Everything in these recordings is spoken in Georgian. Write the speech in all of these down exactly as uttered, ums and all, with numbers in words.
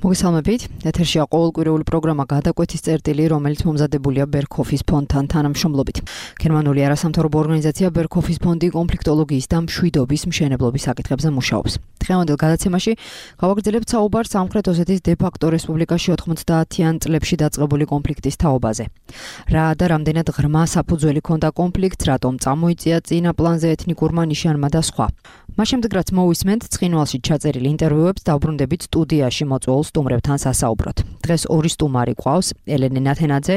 მოგესალმებით. ეთერშია ყოველკვირეული პროგრამა გადაკვეთის წერტილი, რომელიც მომზადებულია ბერქოფის ფონდთან თანამშრომლობით. გერმანული არასამთავრობო ორგანიზაცია ბერქოფის ფონდი კონფლიქტოლოგიის და მშვიდობის მშენებლობის საკითხებზე მუშაობს. დღევანდელ გადაცემაში გავაგრძელებთ საუბარს სამხრეთ ოსეთის დე-ფაქტო რესპუბლიკაში ოთხმოცდაათიან წლებში დაწყებული კონფლიქტის თაობაზე. რა და რამდენად ღრმა საფუძველი ჰქონდა კონფლიქტს, რატომ წამოიწია წინა პლანზე ეთნიკურმა ნიშანმა და სხვა. მას შემდეგ რაც მოვისმენთ ცხინვალში ჩაწერილ ინტერვიუებს, დავბრუნდებით სტუდიაში მოწვეულ სტუმრებთან სასაუბროთ. დღეს ორი სტუმარი ყავს: ელენე ნათენაძე,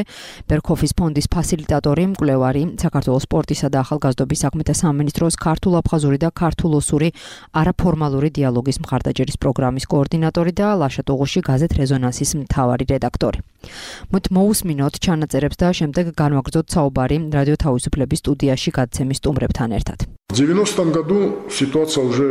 ბერქოფის ფონდის ფასილიტატორი, მკვლევარი, საქართველოს სპორტისა და ახალგაზრდობის საქმეთა სამინისტროს ქართულ-აფხაზური და ქართულ-ოსური არაფორმალური დიალოგის მხარდაჭერის პროგრამის კოორდინატორი და ლაშა-ტუღუში გაზეთ რეზონანსის მთავარი რედაქტორი. მოთ მოусმინოთ ჩანაწერებს და შემდეგ განვაგრძოთ საუბარი რადიო თავისუფლების სტუდიაში გადაცემის სტუმრებთან ერთად. В девяностом году ситуация уже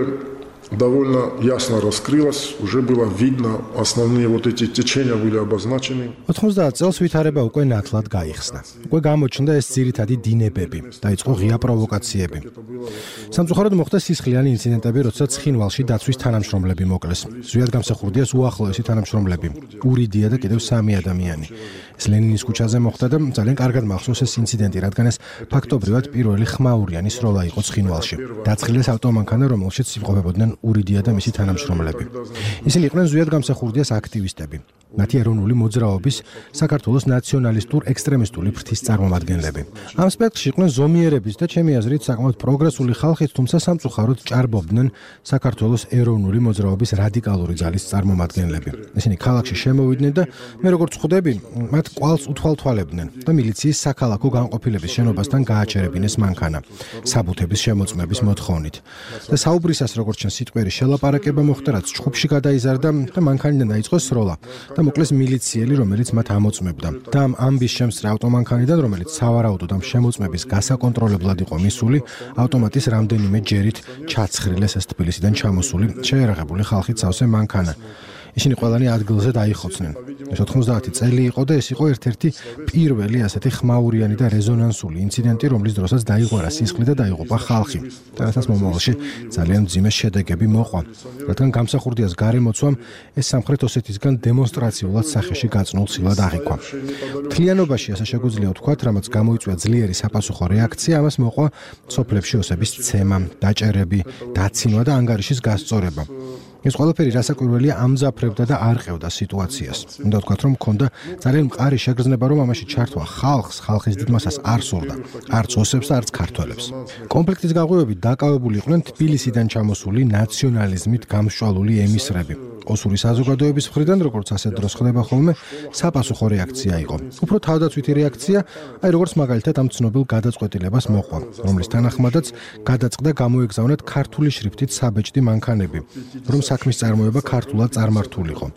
довольно ясно раскрылась, уже было видно, основные вот эти течения были обозначены. ოთხმოცდაათ წელს ვითარება უკვე ნათლად გაიხსნა. უკვე გამოჩნდა ეს ძირითადი დინებები, დაიწყო ღია პროვოკაციები. სამწუხაროდ მოხდა სისხლიანი ინციდენტები, როდესაც ცხინვალში დაცვის თანამშრომლები მოკლეს. ზვიად გამსახურდიას უახლოესი თანამშრომლები, ურიდია და კიდევ სამი ადამიანი. ეს ლენინის ქუჩაზე მოხდა და ძალიან კარგად მახსოვს ეს ინციდენტი, რადგან ეს ფაქტობრივად პირველი ხმაურიანი სროლა იყო ცხინვალში. დაწყილეს ავტომანქანა, რომელშიც იმყოფებოდნენ ურიდია და მისი თანამშრომლები. ისინი იყვნენ ზვიად გამსახურდიას აქტივისტები. მათი ეროვნული მოძრაობის საქართველოს ნაციონალისტურ ექსტრემისტული ფრთის წარმომადგენლები. ამ სპექტრში იყვნენ ზომიერების და ჩემი აზრით საკმაოდ პროგრესული ხალხიც, თუმცა სამწუხაროდ ჭარბობდნენ საქართველოს ეროვნული მოძრაობის რადიკალური ძალის წარმომადგენლები. ისინი ქალაქში შემოვიდნენ და მე როგორც ხვდები, მათ კვალს უთვალთვალებდნენ და მილიციის საქალაქო განყოფილების შენობასთან გააჩერებინეს მანქანა საბუთების შემოწმების მოთხოვნით. და საუბრისას როგორც ჩვენ სიტყვიერი შელაპარაკება მოხდა, რაც ჩხუბში გადაიზარდა და მანქანიდან დაიწყო სროლა. მოკლეს მილიციელი, რომელიც მათ ამოწმებდა. და ამ ამბის შემსწრე ავტომანქანიდან, რომელიც სავარაუდოდ ამ შემოწმების გასაკონტროლებლად იყო მისული, ავტომატის რამდენიმე ჯერით ჩაცხრილეს ეს თბილისიდან ჩამოსული შეერაღებული ხალხით სავსე მანქანა. ისინი ყველანი ადგილზე დაიხოცნენ. ეს ოთხმოცდაათი წელი იყო და ეს იყო ერთ-ერთი პირველი ასეთი ხმაურიანი და რეზონანსული ინციდენტი, რომლის დროსაც დაიღვარა სისხლი და დაიღუპა ხალხი. და რასაც მომავალში ძალიან მძიმე შედეგები მოყვა. რადგან გამსახურდიას გარემოცვამ ეს სამხრეთ ოსეთისგან დემონსტრაციულად სახეში გაწნულ ცილად აღიქვა. მთლიანობაში ასე შეგვიძლია ვთქვათ, რამაც გამოიწვია ძლიერი საპასუხო რეაქცია, ამას მოყვა სოფლებში ოსების ცემა, დაჭერები, დაცინვა და ანგარიშის გასწორება. ეს ყველაფერი რასაკვირველია ამძაფრებდა და არყევდა სიტუაციას. უნდა ვთქვათ, რომ მქონდა ძალიან მყარი შეგრძნება, რომ ამაში ჩართვა ხალხს, ხალხის დიდ მასას არ სურდა, არც ოსებს და არც ქართველებს. კონფლიქტის გაღვივებით დაკავებული იყვნენ თბილისიდან ჩამოსული ნაციონალიზმით გამსჭვალული ემისრები. ოსური საზოგადოების მხრიდან, როგორც ასეთ დროს ხდება ხოლმე, საპასუხო რეაქცია იყო. უფრო თავდაცვითი რეაქცია, აი როგორც მაგალითად ამ ცნობილ გადაწყვეტილებას მოყვა, რომლის თანახმადაც გადაწყდა გამოეგზავნათ ქართული შრიფტით საბეჭდი მანქანები, რომ საქმის წარმოება ქართულად წარმართულიყო.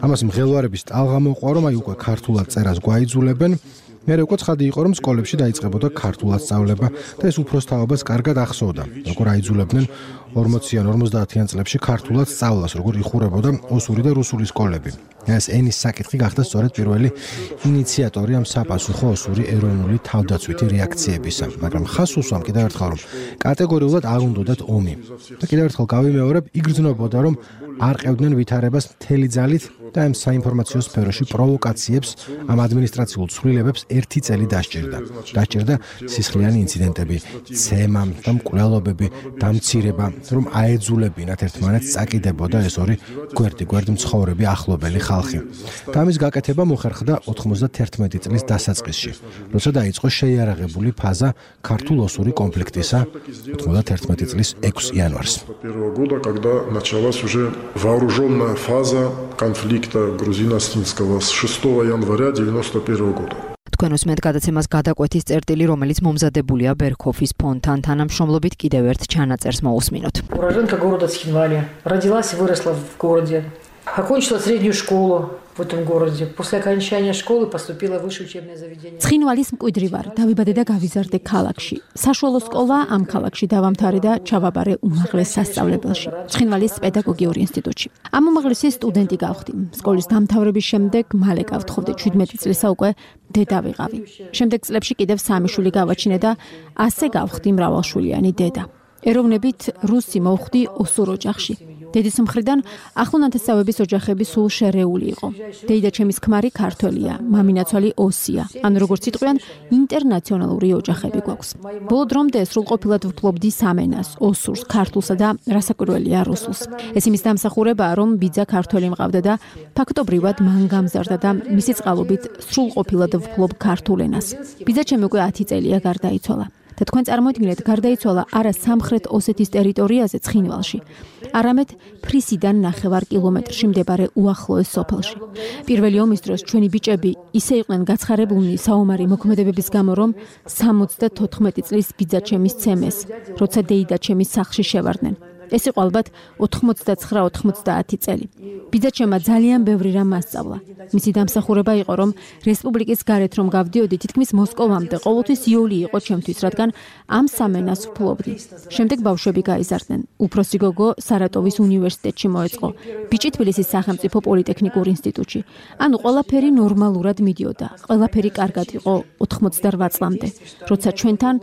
ამას მღელვარების ტალღა მოყვა, რომ აი უკვე ქართულად წერას გვაიძულებენ. მერე უკვე ცხადი იყო, რომ სკოლებში დაიწყებოდა ქართულად სწავლება და ეს უფროსთაობას კარგად ახსოვდა, როგორ აიძულებდნენ ორმოციან ორმოცდაათიან წლებში ქართულად სწავლას, როგორ იხურებოდა ოსური და რუსული სკოლები. ეს ენის საკითხი გახდა სწორედ პირველი ინიციატორი ამ sapasukho ოსური ეროვნული თავდაცვითი რეაქციებისა. მაგრამ ხას უსვამ კიდევ ერთხელ, რომ კატეგორიულად არ უნდათ ომი. და კიდევ ერთხელ გავიმეორებ, იგრძნობოდა, რომ არ ყევდნენ ვითარებას მთელი ძალით და ამ საინფორმაციო სფეროში პროვოკაციებს, ამ ადმინისტრაციულ ცვლილებებს ერთი წელი დასჭირდა. დასჭირდა სისხლიანი ინციდენტები, ცემა და მკვლელობები, დამცირება, რომ აეძულებინათ ერთმანეთს წაკიდებოდა ეს ორი გვერდი-გვერდ მცხოვრები ახლობელი ხალხი. და ამის გაკეთება მოხერხდა ოთხმოცდათერთმეტი წლის დასაწყისში, როცა დაიწყო შეიარაღებული ფაზა ქართულ-ოსური კონფლიქტისა ოთხმოცდათერთმეტი წლის ექვსი იანვარს. Вооруженная фаза конфликта грузино-осетинского с шестого января девяносто первого года. თქვენ უსმენთ გადაცემას გადაკვეთის წერტილი, რომელიც მომზადებულია ბერქოფის ფონდთან თანამშრომლობით, კიდევ ერთ чанаწერს მოусმინოთ. Уроженка города Цхинвали. Родилась и выросла в городе. Окончила среднюю школу в этом городе. После окончания школы поступила в высшее учебное заведение. ცხინვალის მკვიდრი ვარ, დავიბადე და გავიზარდე ქალაქში. საშუალო სკოლა ამ ქალაქში დავამთავრე და ჩავაბარე უმაღლეს სასწავლებელში, ცხინვალის პედაგოგიური ინსტიტუტში. ამ უმაღლესის სტუდენტი გავხდი. სკოლის დამთავრების შემდეგ მალე გავთხოვდი შვიდმეტი წლისა უკვე დედა ვიყავი. შემდეგ წლებში კიდევ სამი შვილი გავაჩინე და ასე გავხდი მრავალშვილიანი დედა. ეროვნებით რუსი მოვხდი ოსურ ოჯახში. დედის მხრიდან ახლონათესავების ოჯახები სულ შერეული იყო. დეიდაჩემის ქმარი ქართველია, მამინაცვალი ოსია. ანუ როგორც იტყვიან, ინტერნაციონალური ოჯახები გვაქვს. ბოლო დრომდე სრულყოფილად ვფლობდი სამენას, ოსურს, ქართულსა და რასაკვირველია რუსულს. ეს იმის დამსახურებაა, რომ ბიძა ქართველი მყავდა და ფაქტობრივად მან გამზარდა და მისი წყალობით სრულყოფილად ვფლობ ქართულ ენას. ბიძაჩემი უკვე ათი წელია გარდაიცვალა. და თქვენ წარმოიდგინეთ, გარდაიცვალა არა სამხრეთ ოსეთის ტერიტორიაზე ცხინვალში, არამედ ფრისიდან ნახევარ კილომეტრში მდებარე უახლოეს სოფელში. პირველი ომის დროს ჩვენი ბიჭები ისე იყვნენ გაცხარებულნი საომარი მოქმედებების გამო, რომ სამოცდათოთხმეტი წლის ბიძაჩემის ცემეს, როცა დეიდაჩემის სახლში შევარდნენ. ეს იყო ალბათ ოთხმოცდაცხრა ოცდაათი წელი. ბიძაჩემმა ძალიან ბევრი რამ მასწავლა. მისი დამსახურება იყო, რომ რესპუბლიკის გარეთ რომ გავდიოდი, თითქმის მოსკოვამდე ყოველთვის იოლი იყო ჩემთვის, რადგან ამ სამენას ვფლობდი. შემდეგ ბავშვები გაიზარდნენ. უფროსი გოგო სარატოვის უნივერსიტეტში მოეწყო, ბიჭი თბილისის სახელმწიფო პოლიტექნიკურ ინსტიტუტში. ანუ ყველაფერი ნორმალურად მიდიოდა. ყველაფერი კარგად იყო ოთხმოცდარვა წლამდე, როცა ჩვენთან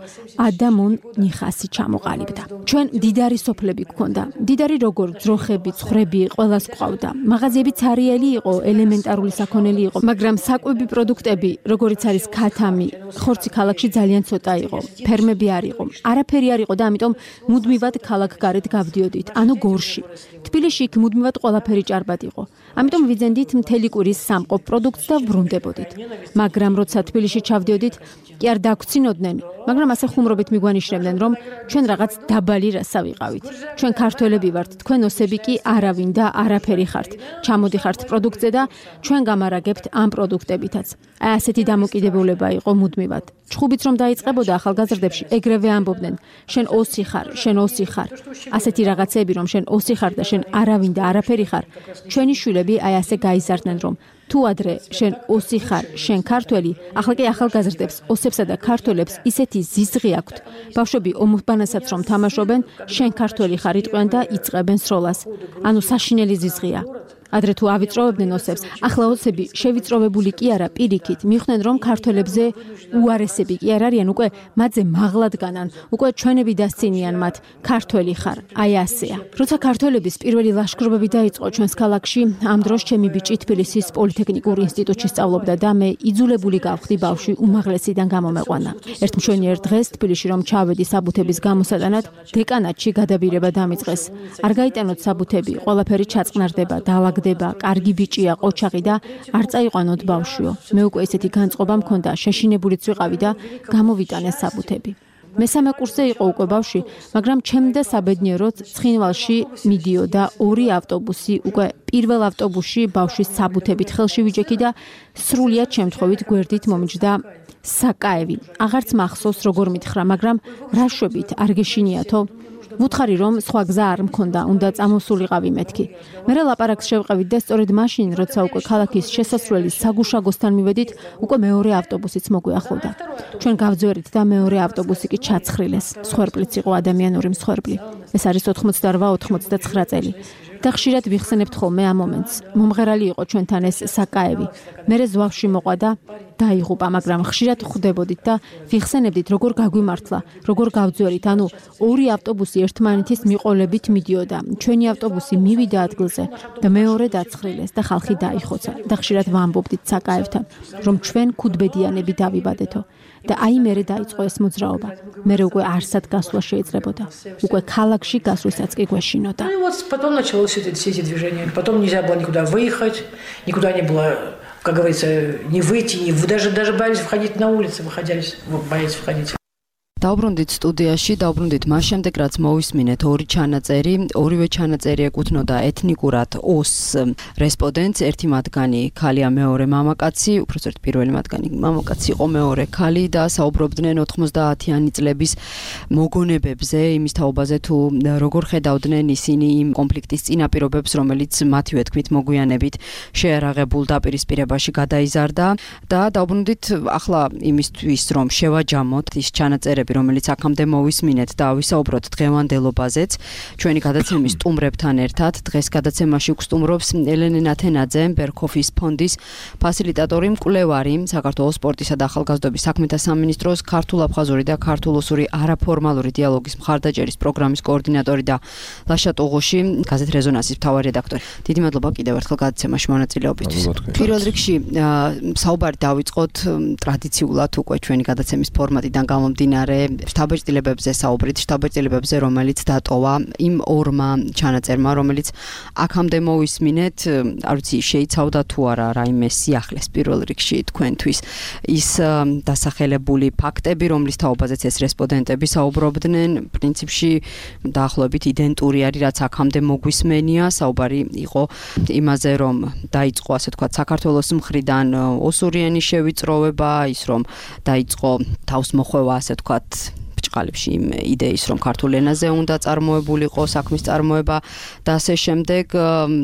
ადამონ ნიხასი ჩამოყალიბდა. ჩვენ დიდარი სოფლები გქონდა. დიდარი როგორ ძროხები, ცხვრები, ყველას გვყავდა. მაღაზიები ცარიელი იყო, ელემენტარული საქონელი იყო, მაგრამ საკვები პროდუქტები, როგორიც არის ქათამი, ხორცი ქალაქში ძალიან ცოტა იყო. ფერმები არ იყო. არაფერი არ იყო და ამიტომ მუდმივად ქალაქგარეთ გავდიოდით, ანუ გორში. თბილისში იქ მუდმივად ყველაფერი ჭარბად იყო. ამიტომ ვიძენდით მთელი კვირის სამყოფ პროდუქტს და ვრუნდებოდით. მაგრამ როცა თბილისში ჩავდიოდით, კი არ დაგვრცინოდნენ, მაგრამ ასე ხუმრობით მიგვანიშნებდნენ, რომ ჩვენ რაღაც დაბალი რასა ვიყავით. ჩვენ ქართველები ვართ, თქვენ ოსები კი არავინ და არაფერი ხართ. ჩამოდიხართ პროდუქტზე და ჩვენ გამარაგებთ ამ პროდუქტებითაც. აი ასეთი დამოკიდებულება იყო მუდმივად. ჩხუბიც რომ დაიწყებოდა ახალგაზრდებში, ეგრევე ამბობდნენ, შენ ოსი ხარ, შენ ოსი ხარ. ასეთი რაღაცები, რომ შენ ოსი ხარ და შენ არავინ და არაფერი ხარ. ჩვენი შვილები აი ასე გაიზარდნენ, რომ თუ ადრე შენ ოსი ხარ, შენ ქართველი, ახლა კი ახალგაზრდებს, ოსებსა და ქართველებს ისეთი ზიზღი აქვთ. ბავშვები ომბანასაც რომ თამაშობენ, შენ ქართველი ხარ იტყვიან და იწყებენ სროლას. ანუ საშინელი ზიზღია. ადრე თუ ავიწროვებდნენ ოსებს, ახლა ოსები შევიწროვებული კი არა, პირიქით, მიხდნენ რომ ქართველებზე უარესები კი არ არიან, უკვე მათზე მაღლად განან, უკვე ჩვენები დასცინიან მათ, ქართველი ხარ, აი ასეა. როცა ქართველების პირველი ლაშქრობები დაიწყო ჩვენს ქალაქში, ამ დროს ჩემი ბიჭი თბილისის პოლიტექნიკურ ინსტიტუტში სწავლობდა და მე იძულებული გავხდი ბავშვი უმაღლესიდან გამომეყვანა. ერთ მშვენიერ დღეს თბილისში რომ ჩავედი საბუთების გამოსატანად, დეკანატში გადაბირება დამიწყეს. არ გაიტანოთ საბუთები, ყველაფერი ჩაწყნარდება, დაალაგდება, კარგი ბიჭია, ყოჩაღი და არ წაიყვანოთ ბავშვიო. მე უკვე ესეთი განწყობა მქონდა, შეშინებულიც ვიყავი და გამოვიტანე საბუთები. მესამე კურსზე იყო უკვე ბავშვი, მაგრამ ჩემდა საბედნიეროდ ცხინვალში მიდიოდა ორი ავტობუსი, უკვე პირველ ავტობუსში ბავშვის საბუთებით ხელში ვიჯექი და სრულიად შემთხვევით გვერდით მომიჯდა საკაევი. აღარც მახსოვს როგორ მითხრა, მაგრამ რა შვებით, არ გეშინიათო? ვუთხარი რომ სხვა გზა არ მქონდა, უნდა წამოსულიყავი მეთქი. მე ლაპარაკს შევყევით და სწორედ მაშინ, როცა უკვე ქალაქის შესასვლელის საგუშაგოსთან მივედით, უკვე მეორე ავტობუსიც მოგვიახლოვდა. ჩვენ გავძვერით და მეორე ავტობუსი კი ჩაცხრილეს. მსხვერპლიც იყო ადამიანური მსხვერპლი. ეს არის ოთხმოცდარვა ოცდაცხრა წელი. და ხშირად ვიხსენებთ ხოლმე ამ მომენტს. მომღერალი იყო ჩვენთან ეს საკაევი. მერე ზვავში მოყვა და დაიღუპა, მაგრამ ხშირად ხვდებოდით და ვიხსენებდით როგორ გაგვიმართლა, როგორ გავძვერით, ანუ ორი ავტობუსი ერთმანეთის მიყოლებით მიდიოდა. ჩვენი ავტობუსი მივიდა ადგილზე და მეორე დაცხრილეს და ხალხი დაიხოცა. და ხშირად ვამბობდით საკაევთან, რომ ჩვენ ქუდბედიანები დავიბადეთო. და აი მერე დაიწყო ეს მოძრაობა. მერე უკვე არსად გასვლა შეიძლებოდა. უკვე ქალაქში გასვლასაც კი გვეშინოდა. Ну вот потом началось все эти движения. Потом нельзя было никуда выехать, никуда не было, как говорится, не выйти, не даже даже боялись входить на улицы, выходили, боялись входить. დაუბრუნდით სტუდიაში, დაუბრუნდით მას შემდეგ, რაც მოვისმინეთ ორი ჩანაწერი, ორივე ჩანაწერი ეკუთვნოდა ეთნიკურად ოს რესპონდენტს, ერთი მათგანი ქალია, მეორე მამაკაცი, უпростоრთ პირველი მათგანი მამაკაცი იყო, მეორე ქალი და საუბრობდნენ ოთხმოცდაათიანი წლების მოგონებებზე, იმის თაობაზე თუ როგორ ხედავდნენ ისინი იმ კონფლიქტის წინაპირობებს, რომელიც მათივე თქმით მოგვიანებით შეარაღებულ დაპირისპირებაში გადაიზარდა და დაუბრუნდით ახლა იმისთვის, რომ შევაჯამოთ ის ჩანაწერები, რომელიც აქამდე მოვისმინეთ და ავისაუბროთ დღევანდელობაზეც. ჩვენი გადაცემის სტუმრებთან ერთად დღეს გადაცემაში გსტუმრობს ელენე ნათენაძე, ბერქოფის ფონდის ფასილიტატორი, მკვლევარი, საქართველოს სპორტისა და ახალგაზრდობის საქმეთა სამინისტროს ქართულ-აფხაზური და ქართულ-ოსური არაფორმალური დიალოგის მხარდაჭერის პროგრამის კოორდინატორი და ლაშა ტუღუში, გაზეთ რეზონანსის მთავარი რედაქტორი. დიდი მადლობა კიდევ ერთხელ გადაცემაში მონაწილეობისთვის. პირველ რიგში საუბარი დავიწყოთ ტრადიციულად უკვე ჩვენი გადაცემის ფორმატიდან გამომდინარე შტაბ-ეტილებებზე საუბრით, შტაბ-ეტილებებზე, რომელიც დატოვა იმ ორმა ჩანაწერმა, რომელიც აქამდე მოვისმინეთ, არ ვიცი, შეიცავდა თუ არა რაიმე სიახლეს პირველ რიგში თქვენთვის ის დასახელებული ფაქტები, რომლის თაობაზეც ეს რესპონდენტები საუბრობდნენ, პრინციპში დაახლოებით იდენტური არის, რაც აქამდე მოგვისმენია. საუბარი იყო იმაზე, რომ დაიწყო, ასე ვთქვათ, საქართველოს მხრიდან ოსური ენის შევიწროვება, ის რომ დაიწყო თავსმოხვევა, ასე ვთქვათ, ბრჭყალებში იმ იდეის, რომ ქართულ ენაზე უნდა წარმოებულიყო საქმის წარმოება და ასე შემდეგ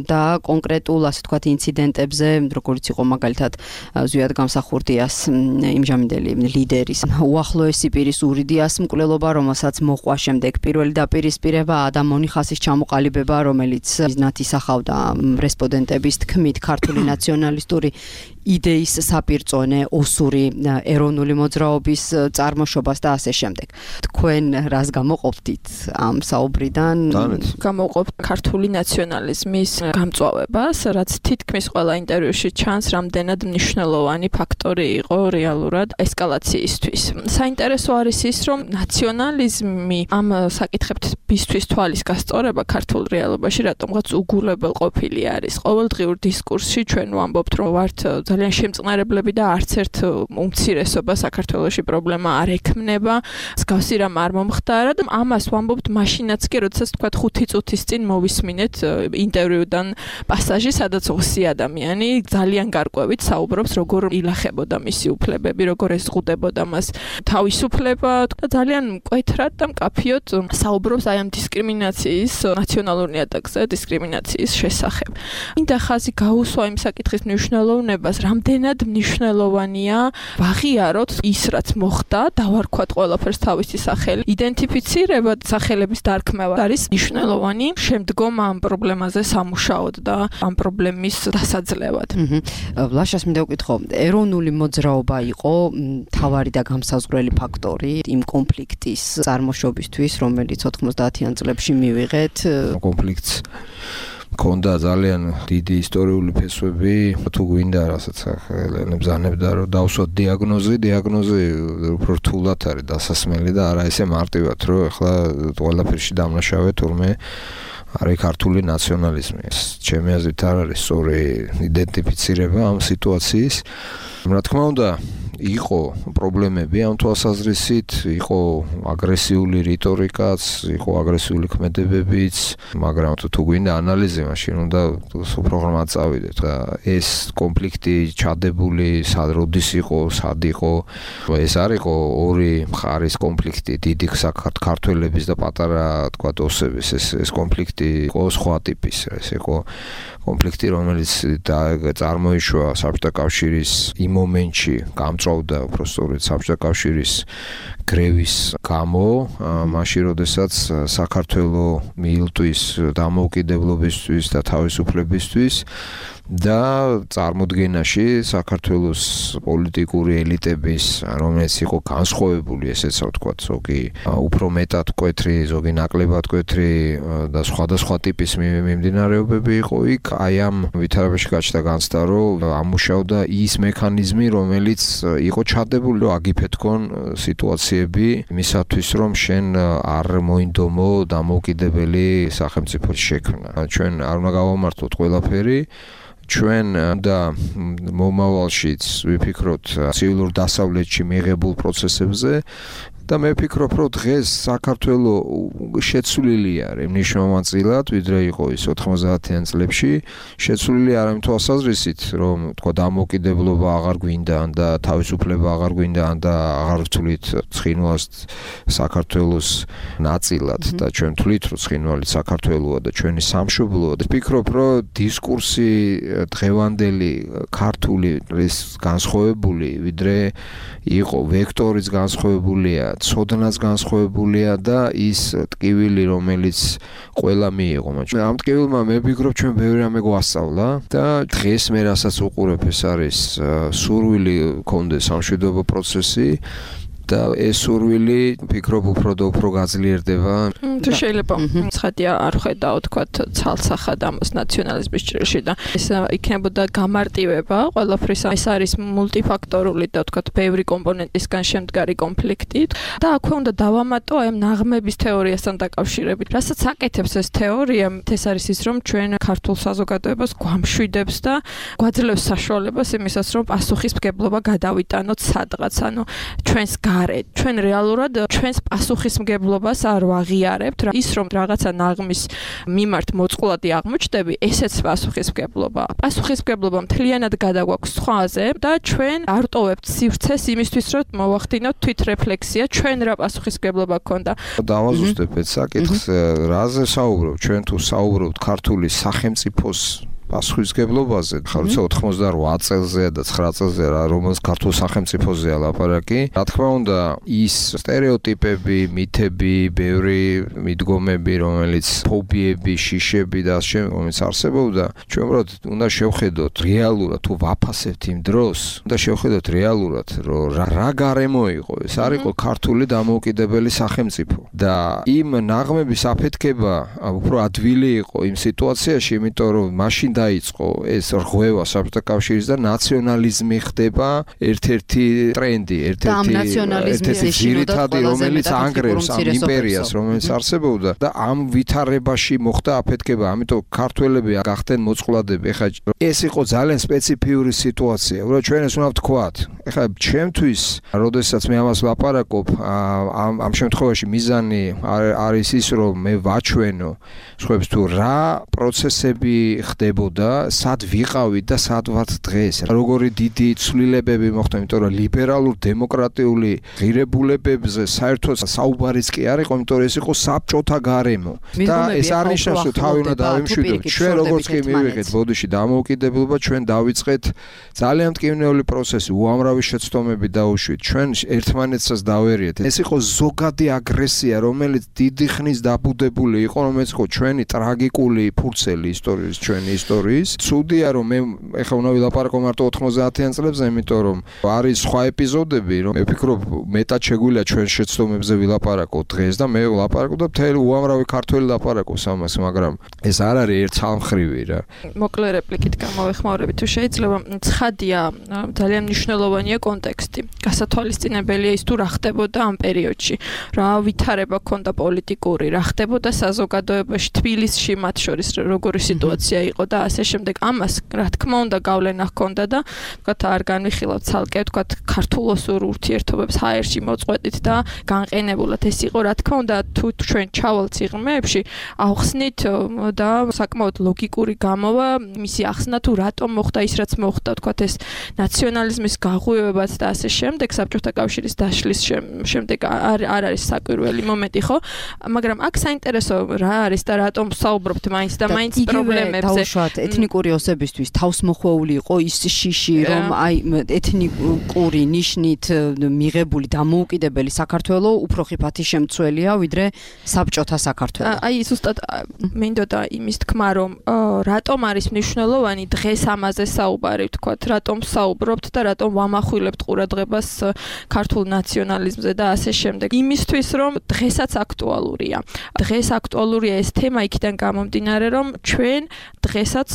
და კონკრეტულ, ასე ვთქვათ, ინციდენტებზე, როგორც იყო მაგალითად ზვიად გამსახურდიას იმჟამინდელი ლიდერის უახლოესი პირის ურიდიას მკვლელობა, რომელსაც მოყვა შემდეგ პირველი დაპირისპირება და მონიხასის ჩამოყალიბება, რომელიც მიზნად ისახავდა რესპონდენტების თქმით ქართული ნაციონალისტური იდეის საპირწონე ოსური ეროვნული მოძრაობის წარმოშობას და ასე შემდეგ. თქვენ რას გამოყოფთ ამ საუბრიდან? გამოყოფთ ქართული ნაციონალიზმის გამწვავებას, რაც თითქმის ყველა ინტერვიუში ჩანს, რამდენად მნიშვნელოვანი ფაქტორი იყო რეალურად ესკალაციისთვის. საინტერესო არის ის, რომ ნაციონალიზმი ამ საკითხებისთვის თვალის გასწორება ქართულ რეალობაში რატომღაც უგულებელ ყოფილი არის. ყოველდღიურ დისკურსში ჩვენ ვამბობთ, რომ ვართ ძალიან შემწყნარებლები და არც ერთ უმცირესობა საქართველოში პრობლემა არ ექმნება. მსგავსი რამ არ მომხდარა და ამას ვამბობთ მაშინაც კი, როდესაც თქვა ხუთი წუთის წინ მოვისმინეთ ინტერვიუდან პასაჟი, სადაც ოსი ადამიანი ძალიან გარკვევით საუბრობს, როგორ ილახებოდა მისი უფლებები, როგორ ეზღუდებოდა მას თავისუფლება და ძალიან მკვეთრად და მკაფიოდ საუბრობს აი ამ დისკრიმინაციის, ნაციონალურ ნიადაგზე დისკრიმინაციის შესახებ. მინდა ხაზი გაუსვა იმ საკითხის მნიშვნელოვნებას, რამდენად მნიშვნელოვანია ვაღიაროთ ის, რაც მოხდა, დავარქვათ ყველაფერს თავისი სახელი. იდენტიფიცირება სახელების დარქმევა არის მნიშვნელოვანი შემდგომ ამ პრობლემაზე სამუშაოდ და ამ პრობლემის დასაძლევად. ლაშას მინდა ვკითხო, ეროვნული მოძრაობა იყო მთავარი და გამსაზღვრელი ფაქტორი იმ კონფლიქტის წარმოშობისთვის, რომელიც ოთხმოცდაათიან წლებში მივიღეთ. კონფლიქტს მქონდა ძალიან დიდი ისტორიული ფესვები, თუ გვინდა რასაც ბრძანებდა, რომ დავსვათ დიაგნოზი, დიაგნოზი უფრო რთულად არის დასასმელი და არა ესე მარტივად, რომ ეხლა ყველაფერში დამნაშავე თურმე არის ქართული ნაციონალიზმი. ჩემი აზრით არ არის სწორი იდენტიფიცირება ამ სიტუაციის. რა თქმა უნდა, იყო პრობლემები ამ თვალსაზრისით, იყო აგრესიული რიტორიკაც, იყო აგრესიული ქმედებებიც, მაგრამ თუ გვინდა ანალიზი, მაშინ უნდა პროგრამა წავიდეთ. ეს კონფლიქტი ჩადებული, სად როდის იყო, სად იყო, ეს არ იყო ორი მხარის კონფლიქტი, დიდი საქართველების და პატარა, თქვა, ოსების, ეს ეს კონფლიქტი იყო სხვა ტიპის, ეს იყო კონფლიქტი, რომელიც წარმოიშვა საბჭოთა კავშირის იმ მომენტში, გამწვავდა უბრალოდ საბჭოთა კავშირის გრევის გამო, მაშინ როდესაც საქართველო მიილტვის დამოუკიდებლობისთვის და თავისუფლებისთვის და წარმოდგენაში საქართველოს პოლიტიკური ელიტების, რომელიც იყო განსხვავებული, ესეც ვთქვათ, ზოგი უფრო მეტად მკვეთრი, ზოგი ნაკლებად მკვეთრი და სხვადასხვა ტიპის მიმდინარეობები იყო იქ, აი ამ ვითარებაში გაჩნდა განცდა, რომ ამუშავდა ის მექანიზმი, რომელიც იყო ჩადებული, რომ აგიფეთქონ სიტუაციები იმისათვის, რომ შენ არ მოინდომო დამოუკიდებელი სახელმწიფოს შექმნა. ჩვენ არ უნდა გავამართლოთ ყველაფერი, ჩვენ და მომავალშიც ვიფიქროთ ცივილურ დასავლეთში მიღებულ პროცესებზე და მე ვფიქრობ, რომ დღეს საქართველო შეცვლილი არის მნიშვნელოვანწილად, ვიდრე იყო ის ოთხმოცდაათიან წლებში, შეცვლილი არის იმ თვალსაზრისით, რომ თქვა დამოუკიდებლობა აღარ გვინდა და თავისუფლება აღარ გვინდა და აღარ ვთვლით ცხინვალს საქართველოს ნაწილად და ჩვენ ვთვლით, რომ ცხინვალი საქართველოა და ჩვენი სამშობლოა. ვფიქრობ, რომ დისკურსი დღევანდელი ქართული ის განსხვავებული, ვიდრე იყო ვექტორიც განსხვავებულია ცოდნაც განსხვავებულია და ის ტკივილი, რომელიც ყველა მიიღო. ამ ტკივილმა მე ვფიქრობ, ჩვენ ბევრი რამე გვასწავლა და დღეს მე რასაც უყურებ, ეს არის სურვილი გქონდეს სამშვიდობო პროცესი და ეს სურვილი ვფიქრობ უფრო და უფრო გაძლიერდება. თუ შეიძლება ცხადია არ ხედავ თქვათ ცალსახად ამას ნაციონალიზმის ჭრილში და ეს იქნებოდა გამარტივება ყველაფრის. ეს არის მულტიფაქტორული და თქვათ ბევრი კომპონენტისგან შემდგარი კონფლიქტი და აქვე უნდა დავამატო აი ამ ნაღმების თეორიასთან დაკავშირებით. რასაც აკეთებს ეს თეორია, ეს არის ის, რომ ჩვენ ქართულ საზოგადოებას გვამშვიდებს და გვაძლევს საშუალებას იმისას, რომ პასუხისმგებლობა გადავიტანოთ სადღაც. ანუ ჩვენს ჩვენ რეალურად ჩვენს პასუხისმგებლობას არ ვაღიარებთ, ის რომ რაღაცა ნაღმის მიმართ მოწყვლადი აღმოჩნდები, ესეც პასუხისმგებლობა. პასუხისმგებლობა მთლიანად გადაგვაქვს სხვაზე და ჩვენ არ ტოვებთ სივრცეს იმისთვის, რომ მოვახდინოთ თვითრეფლექსია, ჩვენ რა პასუხისმგებლობა გქონდა. დავაზუსტებ ეს საკითხს, რაზე საუბრობ? ჩვენ თუ საუბრობთ ქართული სახელმწიფოს პასუხისმგებლობაზე, ხარ როცა ოთხმოცდაოთხ წელზე და ცხრა წელზე რა რომელს ქართულ სახელმწიფოზეა ლაპარაკი. რა თქმა უნდა, ის სტერეოტიპები, მითები, ბევრი მიდგომები, რომელიც ფობიები, შიშები და ასე რომელიც არსებობდა, ჩვენ უბრალოდ უნდა შევხედოთ რეალურად თუ ვაფასებთ იმ დროს, უნდა შევხედოთ რეალურად, რომ რა გარემო იყო. ეს არ იყო ქართული დამოუკიდებელი სახელმწიფო და იმ ნაღმების აფეთქება უფრო ადვილი იყო იმ სიტუაციაში, იმიტომ რომ მაშინ დაიწყო ეს რღვევა საბჭოთა კავშირის და ნაციონალიზმი ხდება ერთ-ერთი ტრენდი, ერთ-ერთი ძირითადი, რომელიც ანგრევს ამ იმპერიას, რომელიც არსებობდა და ამ ვითარებაში მოხდა აფეთქება. ამიტომ ქართველები გახდნენ მოწყვლადები. ეხლა ეს იყო ძალიან სპეციფიური სიტუაცია. უბრალოდ ჩვენ ეს უნდა ვთქვათ. ეხლა ჩემთვის, როდესაც მე ამას ლაპარაკობ, ამ ამ შემთხვევაში მიზანი არის ის, რომ მე ვაჩვენო სხვებს თუ რა პროცესები ხდებოდა და სად ვიყავით და სად ვართ დღეს. როგორი დიდი ცვლილებები მოხდა, იმიტომ რომ ლიბერალურ დემოკრატიული ღირებულებებზე საერთოდ საუბარიც კი არ იყო, იმიტომ რომ ეს იყო საბჭოთა გარემო. და ეს არ ნიშნავს, რომ თავი უნდა დავიმშვიდოთ. ჩვენ როგორც კი მივიღეთ ბოდიში დამოუკიდებლობა, ჩვენ დავიწყეთ ძალიან მტკივნეული პროცესი, უამრავი შეცდომები დაუშვით. ჩვენ ერთმანეთსაც დავერიეთ. ეს იყო ზოგადი აგრესია, რომელიც დიდი ხნის დაბუდებული იყო, რომელიც იყო ჩვენი ტრაგიკული ფურცელი ისტორიის, ჩვენი ისტორიის. ცუდია რომ მე ეხლა უნდა ვილაპარაკო მარტო ოთხმოცდაათიან წლებზე, იმიტომ რომ არის სხვა ეპიზოდები, რომ მე ვფიქრობ მეტად შეგვიძლია ჩვენ შეცდომებზე ვილაპარაკოთ დღეს და მე ვილაპარაკო და მთელი უამრავი ქართველი ლაპარაკობს ამას, მაგრამ ეს არ არის ერთცალმხრივი რა. მოკლე რეპლიკით გამოვეხმაურები თუ შეიძლება. ცხადია, ძალიან მნიშვნელოვანია კონტექსტი. გასათვალისწინებელია ის თუ რა ხდებოდა ამ პერიოდში. რა ვითარება ქონდა პოლიტიკური, რა ხდებოდა საზოგადოებაში, თბილისში მათ შორის როგორი სიტუაცია იყო და ასე შემდეგ. ამას რა თქმა უნდა გავლენა ჰქონდა და ვთქვათ არ განვიხილავთ ცალკე ვთქვათ ქართულ-ოსურ ურთიერთობებს ჰაერში მოწყვეტით და განყენებულად ეს იყო რა თქმა უნდა თუ ჩვენ ჩავალთ სიღრმეებში ახსნით და საკმაოდ ლოგიკური გამოვა მისი ახსნა თუ რატომ მოხდა ის რაც მოხდა ვთქვათ ეს ნაციონალიზმის გაღვივებაც და ასე შემდეგ საბჭოთა კავშირის დაშლის შემდეგ არ არ არის საკვირველი მომენტი ხო მაგრამ აქ საინტერესო რა არის და რატომ საუბრობთ მაინც და მაინც პრობლემებზე ეთნიკური ოსებისთვის თავსმოხვეული იყო ის შიში რომ აი ეთნიკური ნიშნით მიღებული დამოუკიდებელი საქართველო უფრო ხიფათი შემცველია ვიდრე საბჭოთა საქართველო. აი ზუსტად მინდოდა იმის თქმა რომ რატომ არის მნიშვნელოვანი დღეს ამაზე საუბარი ვთქვათ რატომ საუბრობთ და რატომ ვამახვილებთ ყურადღებას ქართულ ნაციონალიზმზე და ასე შემდეგ. იმისთვის რომ დღესაც აქტუალურია. დღეს აქტუალურია ეს თემა იქიდან გამომდინარე რომ ჩვენ დღესაც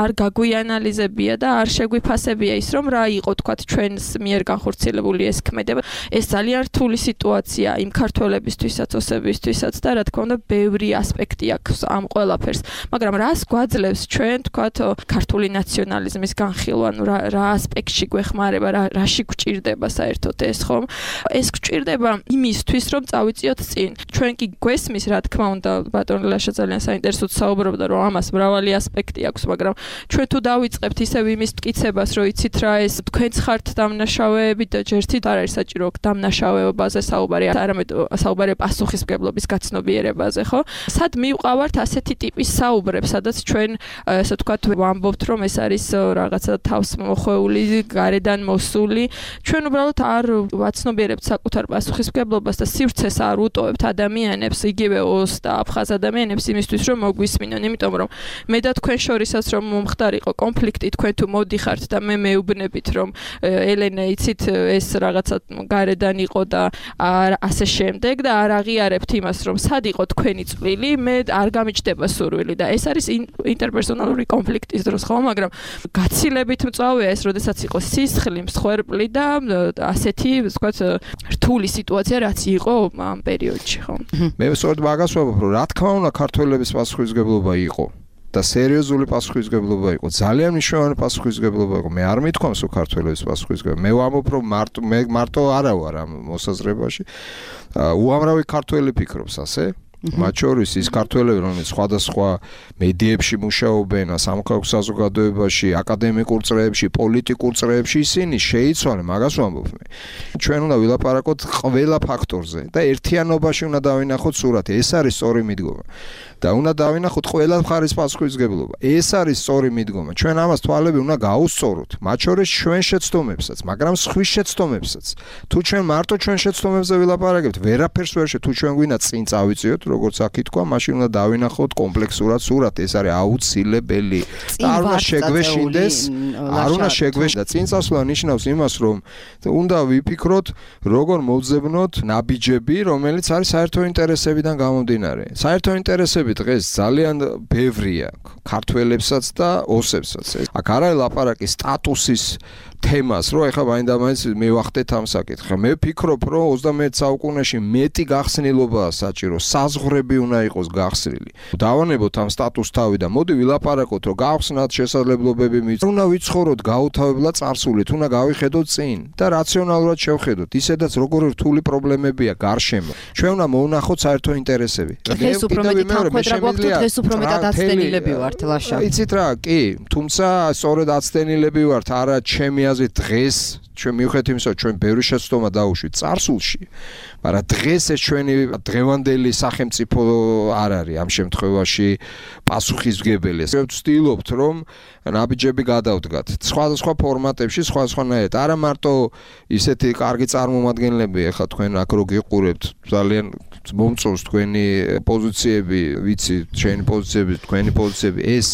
არ გაგვიანალიზებია და არ შეგვიფასებია ის რომ რა იყო თქვათ ჩვენს მიერ განხორციელებული ეს ქმედება. ეს ძალიან რთული სიტუაცია იმ ქართველებისთვისაც, ოსებისთვისაც და რა თქმა უნდა ბევრი ასპექტი აქვს ამ ყველაფერს. მაგრამ რას გვაძლევს ჩვენ თქვათ ქართული ნაციონალიზმის განხილვა, ანუ რა რა ასპექტში გვეხმარება, რა რაში გვჭირდება საერთოდ ეს ხომ? ეს გვჭირდება იმისთვის რომ წავიწიოთ წინ. ჩვენ კი გვესმის რა თქმა უნდა ბატონ ლაშა ძალიან საინტერესოდ საუბრობდა რომ ამას მრავალი ასპექტი აქვს, მაგრამ ჩვენ თუ დავიწყებთ ისევ იმის მტკიცებას, რომ იცით რა ეს თქვენც ხართ დამნაშავეები და ჯერთით არ არის საჭირო დამნაშავეობაზე საუბარი, არამედ საუბარი პასუხისმგებლობის გაცნობიერებაზე, ხო? სად მივყავართ ასეთი ტიპის საუბრებს, სადაც ჩვენ ასე ვთქვათ ვამბობთ, რომ ეს არის რაღაცა თავს მოხვეული, გარედან მოსული. ჩვენ უბრალოდ არ ვაცნობიერებთ საკუთარ პასუხისმგებლობას და სივრცეს არ უტოვებთ ადამიანებს, იგივე ოს და აფხაზ ადამიანებს იმისთვის, რომ მოგვისმინონ, იმიტომ რომ მე და თქვენ შორისაც რომ მომხდარიყო კონფლიქტი, თქვენ თუ მოდიხართ და მე მეუბნებით, რომ ელენე იცით ეს რაღაცა გარედან იყო და ასე შემდეგ და არ აღიარებთ იმას, რომ სად იყო თქვენი წვლილი, მე არ გამიჩნდება სურვილი და ეს არის ინტერპერსონალური კონფლიქტის დროს, ხო, მაგრამ გაცილებით მწვავეა ეს, როდესაც იყო სისხლი, მსხვერპლი და ასეთი, ვთქვათ, რთული სიტუაცია, რაც იყო ამ პერიოდში, ხო? მე სწორედ მაგას ვამბობ, რომ რა თქმა უნდა, ქართველების პასუხისმგებლობა იყო და სერიოზული პასუხისმგებლობა იყო, ძალიან მნიშვნელოვანი პასუხისმგებლობა იყო. მე არ მithქვამს, რომ ქართველების პასუხისმგებლობა. მე ვამბობ, რომ მარტო მე მარტო არა ვარ ამ მოსაზრებაში. უამრავი ქართველი ფიქრობს ასე. მათ შორის ის ქართველები, რომლებიც სხვადასხვა მედიებში მუშაობენ, სამოქალაქო საზოგადოებაში, აკადემიკურ წრეებში, პოლიტიკურ წრეებში, ისინი შეიცვალენ, მაგას ვამბობ მე. ჩვენ უნდა ვილაპარაკოთ ყველა ფაქტორზე და ერთიანობაში უნდა დავინახოთ სურათი. ეს არის სწორი მიდგომა. და უნდა დავინახოთ ყველა მხარის პასუხისმგებლობა. ეს არის სწორი მიდგომა. ჩვენ ამას თვალები უნდა გაუსწოროთ, მათ შორის ჩვენ შეცდომებსაც, მაგრამ სხვის შეცდომებსაც. თუ ჩვენ მარტო ჩვენ შეცდომებზე ვილაპარაკებთ, ვერაფერს ვერ შე თუ ჩვენ გვინდა წინ წავიწიოთ, როგორც აქ ითქვა, მაშინ უნდა დავინახოთ კომპლექსურად სურათი. ეს არის აუცილებელი. და არ უნდა შეგვეშინდეს, არ უნდა შეგვეშინდეს და წინ წასვლა ნიშნავს იმას, რომ უნდა ვიფიქროთ, როგორ მოვძებნოთ ნაბიჯები, რომელიც არის საერთო ინტერესებიდან გამომდინარე. საერთო ინტერესები დღეს ძალიან ბევრია ქართველებსაც და ოსებსაც. აქ არ არის ლაპარაკი სტატუსის თემას, რომ ეხლა მაინდა მაინც მივახდეთ ამ საკითხს. მე ვფიქრობ, რომ ოცდამეერთე საუკუნეში მეტი გახსნილობაა საჭირო, საზღვრები უნდა იყოს გახსნილი. დავანებოთ ამ სტატუს თავი და მოდი ვილაპარაკოთ, რომ გავხსნათ შესაძლებლობები მით. უნდა ვიცხოვროთ გაუთავებლად წარსულით, უნდა გავიხედოთ წინ და რაციონალურად შევხედოთ. ისედაც როგორი რთული პრობლემებია გარშემო. ჩვენ უნდა მოვნახოთ საერთო ინტერესები. დღეს უფრო მეტი თანხმედრა გვაქვს, დღეს უფრო მეტად აცდენილები ვართ, ლაშა. იცით რა, კი, თუმცა სწორედ აცდენილები ვართ, არა ჩემი აზრით დღეს ჩვენ მივხვდით იმისა, ჩვენ ბევრი შეცდომა დაუშვით წარსულში, მაგრამ დღეს ეს ჩვენი დღევანდელი სახელმწიფო არ არის ამ შემთხვევაში პასუხისმგებელი. მე ვცდილობთ, რომ ნაბიჯები გადავდგათ სხვადასხვა ფორმატებში, სხვადასხვანაირად. არა მარტო ისეთი კარგი წარმომადგენლები, ახლა თქვენ აქ რო გიყურებთ, ძალიან მომწონს თქვენი პოზიციები, ვიცი, ჩვენი პოზიციები, თქვენი პოზიციები, ეს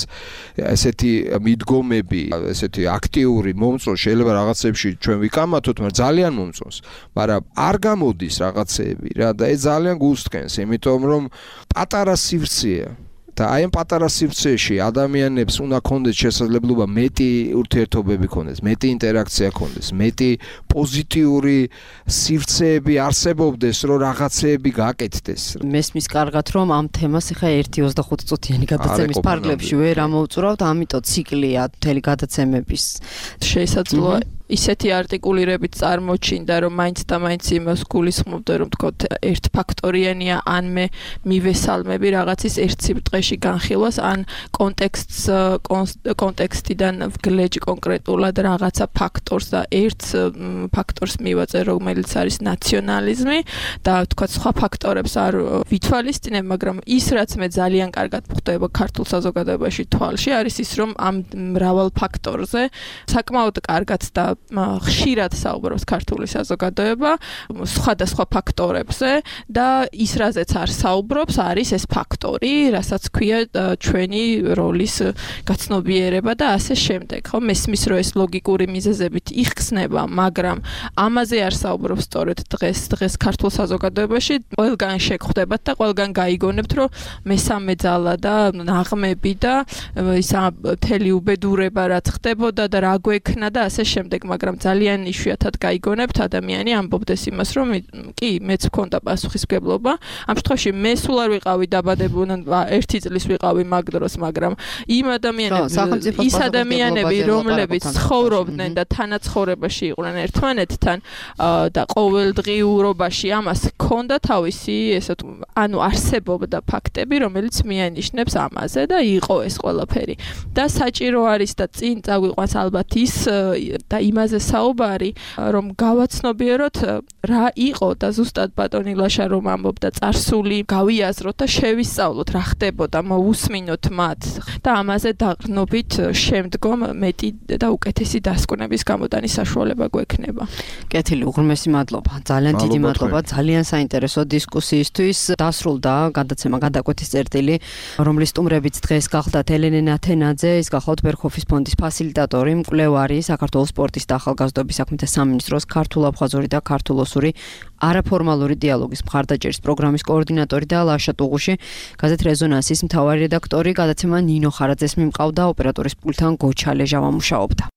ესეთი მიდგომები, ესეთი აქტიური მომწონს, შეიძლება რაღაცებში ჩვენ ვიკამათოთ, მაგრამ ძალიან მომწონს, მაგრამ არ გამოდის რაღაცეები რა და ეს ძალიან გულსწყენს, იმიტომ რომ პატარა სივრცეა და აი ამ პატარა სივრცეში ადამიანებს უნდა ქონდეს შესაძლებლობა მეტი ურთიერთობები ქონდეს, მეტი ინტერაქცია ქონდეს, მეტი პოზიტიური სივრცეები არსებობდეს, რომ რაღაცეები გაკეთდეს. მესმის კარგად, რომ ამ თემას ახლა ერთი ოცდახუთი წუთიანი გადაცემის ფარგლებში ვერ ამოვწურავთ, ამიტომ ციკლია მთელი გადაცემების. შესაძლოა ისეთი არტიკულირებით წარმოჩინდა, რომ მაინც და მაინც იმას გულისხმობდა, რომ თქოთ ერთ ფაქტორიანია, ან მე მივესალმები რაღაცის ერთ სიბრტყეში განხილვას, ან კონტექსტს კონტექსტიდან ვგლეჯ კონკრეტულად რაღაცა ფაქტორს და ერთ ფაქტორს მივაწერ, რომელიც არის ნაციონალიზმი და თქოთ სხვა ფაქტორებს არ ვითვალისწინებ, მაგრამ ის რაც მე ძალიან კარგად ხვდება ქართულ საზოგადოებაში თვალში, არის ის, რომ ამ მრავალ ფაქტორზე საკმაოდ კარგად და ხშირად საუბრობს ქართული საზოგადოება სხვადასხვა ფაქტორებზე და ის რაზეც არ საუბრობს არის ეს ფაქტორი, რასაც ქვია ჩვენი როლის გაცნობიერება და ასე შემდეგ. ხო, მესმის რომ ეს ლოგიკური მიზეზებით იხსნება, მაგრამ ამაზე არ საუბრობს სწორედ დღეს დღეს ქართულ საზოგადოებაში. ყველგან შეგხვდებათ და ყველგან გაიგონებთ, რომ მესამე ძალა და ნაღმები და ის მთელი უბედურება რაც ხდებოდა და რა გვექნა და ასე შემდეგ. მაგრამ ძალიან იშვიათად გაიგონებთ ადამიანი ამბობდეს იმას, რომ კი, მეც მქონდა პასუხისმგებლობა. ამ შემთხვევაში მე სულ არ ვიყავი დაბადებული, ერთი წლის ვიყავი მაგ დროს, მაგრამ იმ ადამიანები, ის ადამიანები, რომლებიც ცხოვრობდნენ და თანაცხოვრებაში იყვნენ ერთმანეთთან და ყოველდღიურობაში ამას ჰქონდა თავისი, ესე თუ, ანუ არსებობდა ფაქტები, რომელიც მიანიშნებს ამაზე და იყო ეს ყველაფერი. და საჭირო არის და წინ წაგვიყვანს ალბათ ის და იმ იმაზე საუბარი, რომ გავაცნობიეროთ რა იყო და ზუსტად ბატონი ლაშა რომ ამბობდა წარსული, გავიაზროთ და შევისწავლოთ რა ხდებოდა, მოусმინოთ მათ და ამაზე დაყრდნობით შემდგომ მეტი და უკეთესი დასკვნების გამოტანის საშუალება გვექნება. კეთილი, უღრმესი მადლობა. ძალიან დიდი მადლობა ძალიან საინტერესო დისკუსიისთვის. დასრულდა გადაცემა გადაკვეთის წერტილი, რომლის სტუმრებიც დღეს გახლდათ ელენე ნათენაძე, ის გახლავთ ბერქოფის ფონდის ფასილიტატორი, მკვლევარი, საქართველოს სპორტის და ახალგაზრდობის საქმეთა სამინისტროს ქართულ-აფხაზური და ქართულ-ოსური არაფორმალური დიალოგის მხარდაჭერის პროგრამის კოორდინატორი და ლაშა ტუღუში, გაზეთ რეზონანსის მთავარი რედაქტორი. გადაცემა ნინო ხარაძეს მიმყავდა, ოპერატორის პულტთან გოჩა ლეჟა ვამუშაობდა.